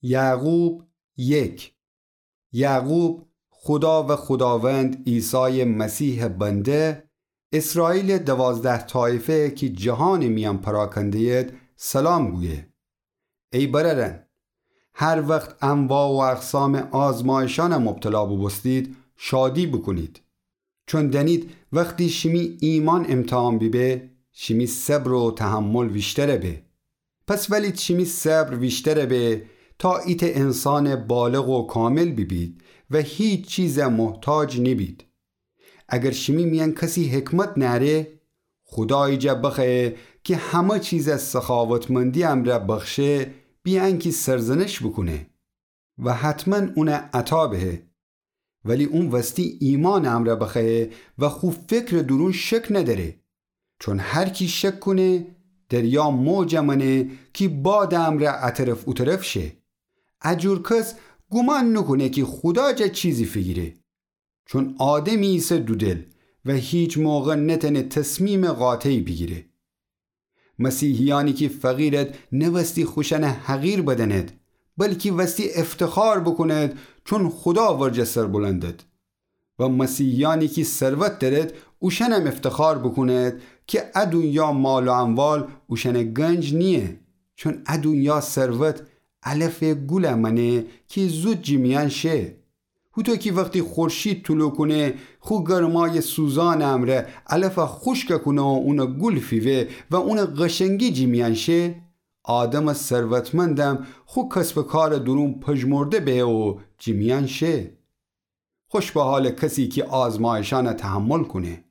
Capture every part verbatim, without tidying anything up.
یعقوب یک. یعقوب خودا و خوداوند عیسایٚ مسیحٚ بنده، اسرائیلٚ دوازده طایفه کی جهانٚ میأن پراکنده‌ید، سلام گویه. ای برأرأن، هر وخت انواع و اقسامٚ آزمایشأن مبتلا بوبوستید، شادی بوکونید. چون دأنید وختی شیمی ایمأن امتحان بیبه، شیمی صبر و تحمل ویشتر به. پس ولی شیمی صبر ویشتر به، تا ایتأ انسانٚ بالغ و کامل بیبید و هیچ چیز محتاج نیبید. اگر شیمی میأن کسی حکمت نأره، خودایی جا بخوأیه کی همه چیز سخاوتمندی امرأ بخشه، بی انکی سرزنش بوکونه و حتماً اون عطا بهه. ولی اون وستی ایمأنٚ امرأ بخوأیه و خو فکرٚ دورون شک ندأره. چون هر کی شک کونه، دریا موج مأنه کی بادٚ امرأ ا طرف او طرف شه. ا جور کس گومان نوکونه کی خودا جا چیزی فیگیره. چون آدمی ایسه دودل و هیچ موقع نتأنه تصمیمٚ قاطعی بیگیره. مسیحیأنی کی فقیرد، نه وستی خوشأن حقیر بدأنید، بلکی وستی افتخار بوکونید، چون خودا ورجه سربلندد. و مسیحیأنی کی ثروت دأرید، اوشأنم افتخار بوکونید کی ا دونیا مال و اموال اوشأنٚ گنج نییه، چون ا دونیا ثروت علفٚ گول مأنه کی زود جی میأن شه. هوطو کی وختی خورشید طلوع کونه، خو گرمایٚ سوزانٚ امرأ علف خوشک کونه و اون گول فیوه و اون قشنگی جی میأن شه، آدمٚ ثروتمندم خو کسب و کارٚ دورون پژمرده بهه و جی میأن شه. خوش به حالٚ کسی کی آزمایشأن تحمل کونه.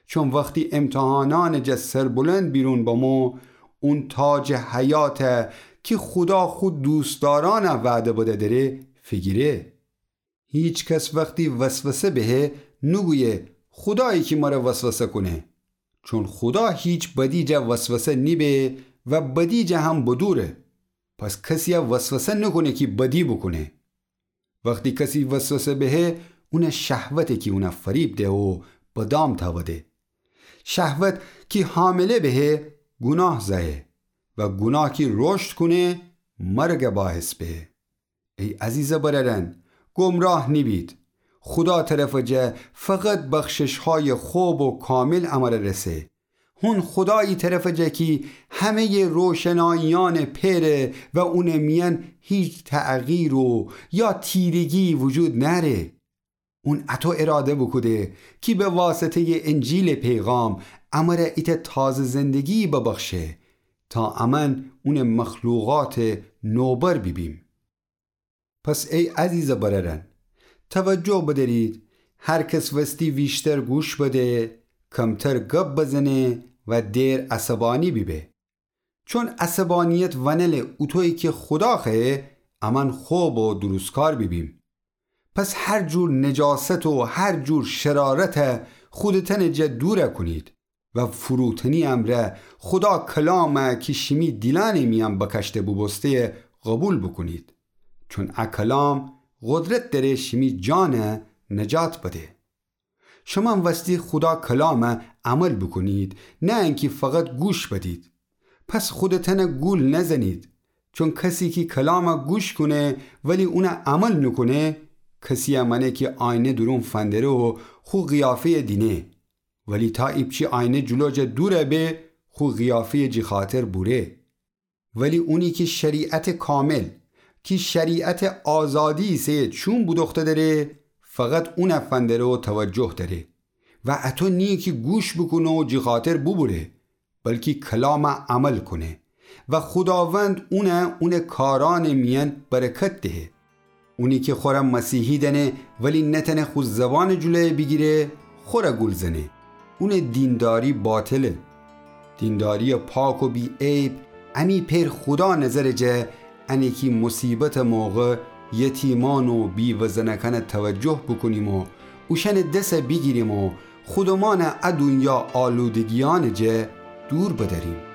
چون وختی امتحانأنٚ جا سربلند بیرون بمو، اون تاجٚ حیات کی خودا خو دوستدارأن وعده بده دره، فیگیره. هیچ کس وختی وسوسه بهه، نوگویه خودایی کی مر وسوسه کونه. چون خودا هیچ بدی جا وسوسه نیبه و بدی جا هم بدوره. پس کسی‌یه وسوسه نوکونه کی بدی بوکونه. وختی کسی وسوسه بهه، اونٚ شهوته کی اون فریب ده و به دام تأوده. شهوت کی حامله بهه، گوناه زأیه و گوناه کی رشد کونه، مرگٚ باعث بهه. ای عزیزٚ برأرأن، گمراه نیبید. خودا طرفٚ جا فقط بخشش‌هایٚ خوب و کامل امر رسه. هون خودایی طرفٚ جا کی همه‌یٚ روشناییأن پئره و اونٚ میأن هیچ تغییر و یا تیرگی وجود نأره. اون اطو اراده بوکوده کی به واسطه‌یٚ انجیلٚ پیغام امر ایتأ تازه زندگی ببخشه تا امأن اونٚ مخلوقاتٚ نوبر بیبیم. پس ای عزیزٚ برأرأن، توجه بدأرید، هر کس وستی ویشتر گوش بده، کمتر گب بزنه و دئر عصبانی بیبه. چون عصبانیت ونله اوطویی کی خودا خوأیه امأن خوب و درستکار بیبیم. پس هر جور نجاست و هر جور شرارت خودتأنٚ جا دور کونید و فروتنی امرأ خودا کلام کی شیمی دیلأنٚ میأن بکشته بوبوسته‌یه قوبیل بوکونید. چون ا کلام قدرت دأره شیمی جان نجات بده. شمأن وستی خودا کلام عمل بوکونید، نه انکی فقط گوش بدید. پس خودتأن گول نزنید. چون کسی کی کلام گوش کونه ولی اون عمل نوکونه، کسی‌یه مأنه کی آینه دورون فندره و خو قیافه‌یه دینه. ولی تا ایپچی آینه جلو جا دور به، خو قیافه‌یه جی خاطر بوره. ولی اونی کی شریعتٚ کامل، کی شریعتٚ آزادی ایسه، چوم بودوخته دره، فقط اون فندره و توجه دره و اطو نییه کی گوش بوکونه و جی خاطر بوبوره، بلکی کلام عمل کونه و خوداوند اون، اونٚ کارأنٚ میأن برکت دهه. اونی کی خوره مسیحی دأنه ولی نتأنه خو زبانٚ جلویه بیگیره، خوره گول زنه. اونٚ دینداری باطله. دینداریٚ پاک و بی‌عیب امی پئر خودا نظرٚ جا انه کی مصیبتٚ موقع یتیمأن و بیوه زنکأن توجه بوکونیم و اوشأنٚ دس بیگیریم و خودمأن ا دونیا آلودگیأنٚ جا دور بدأریم.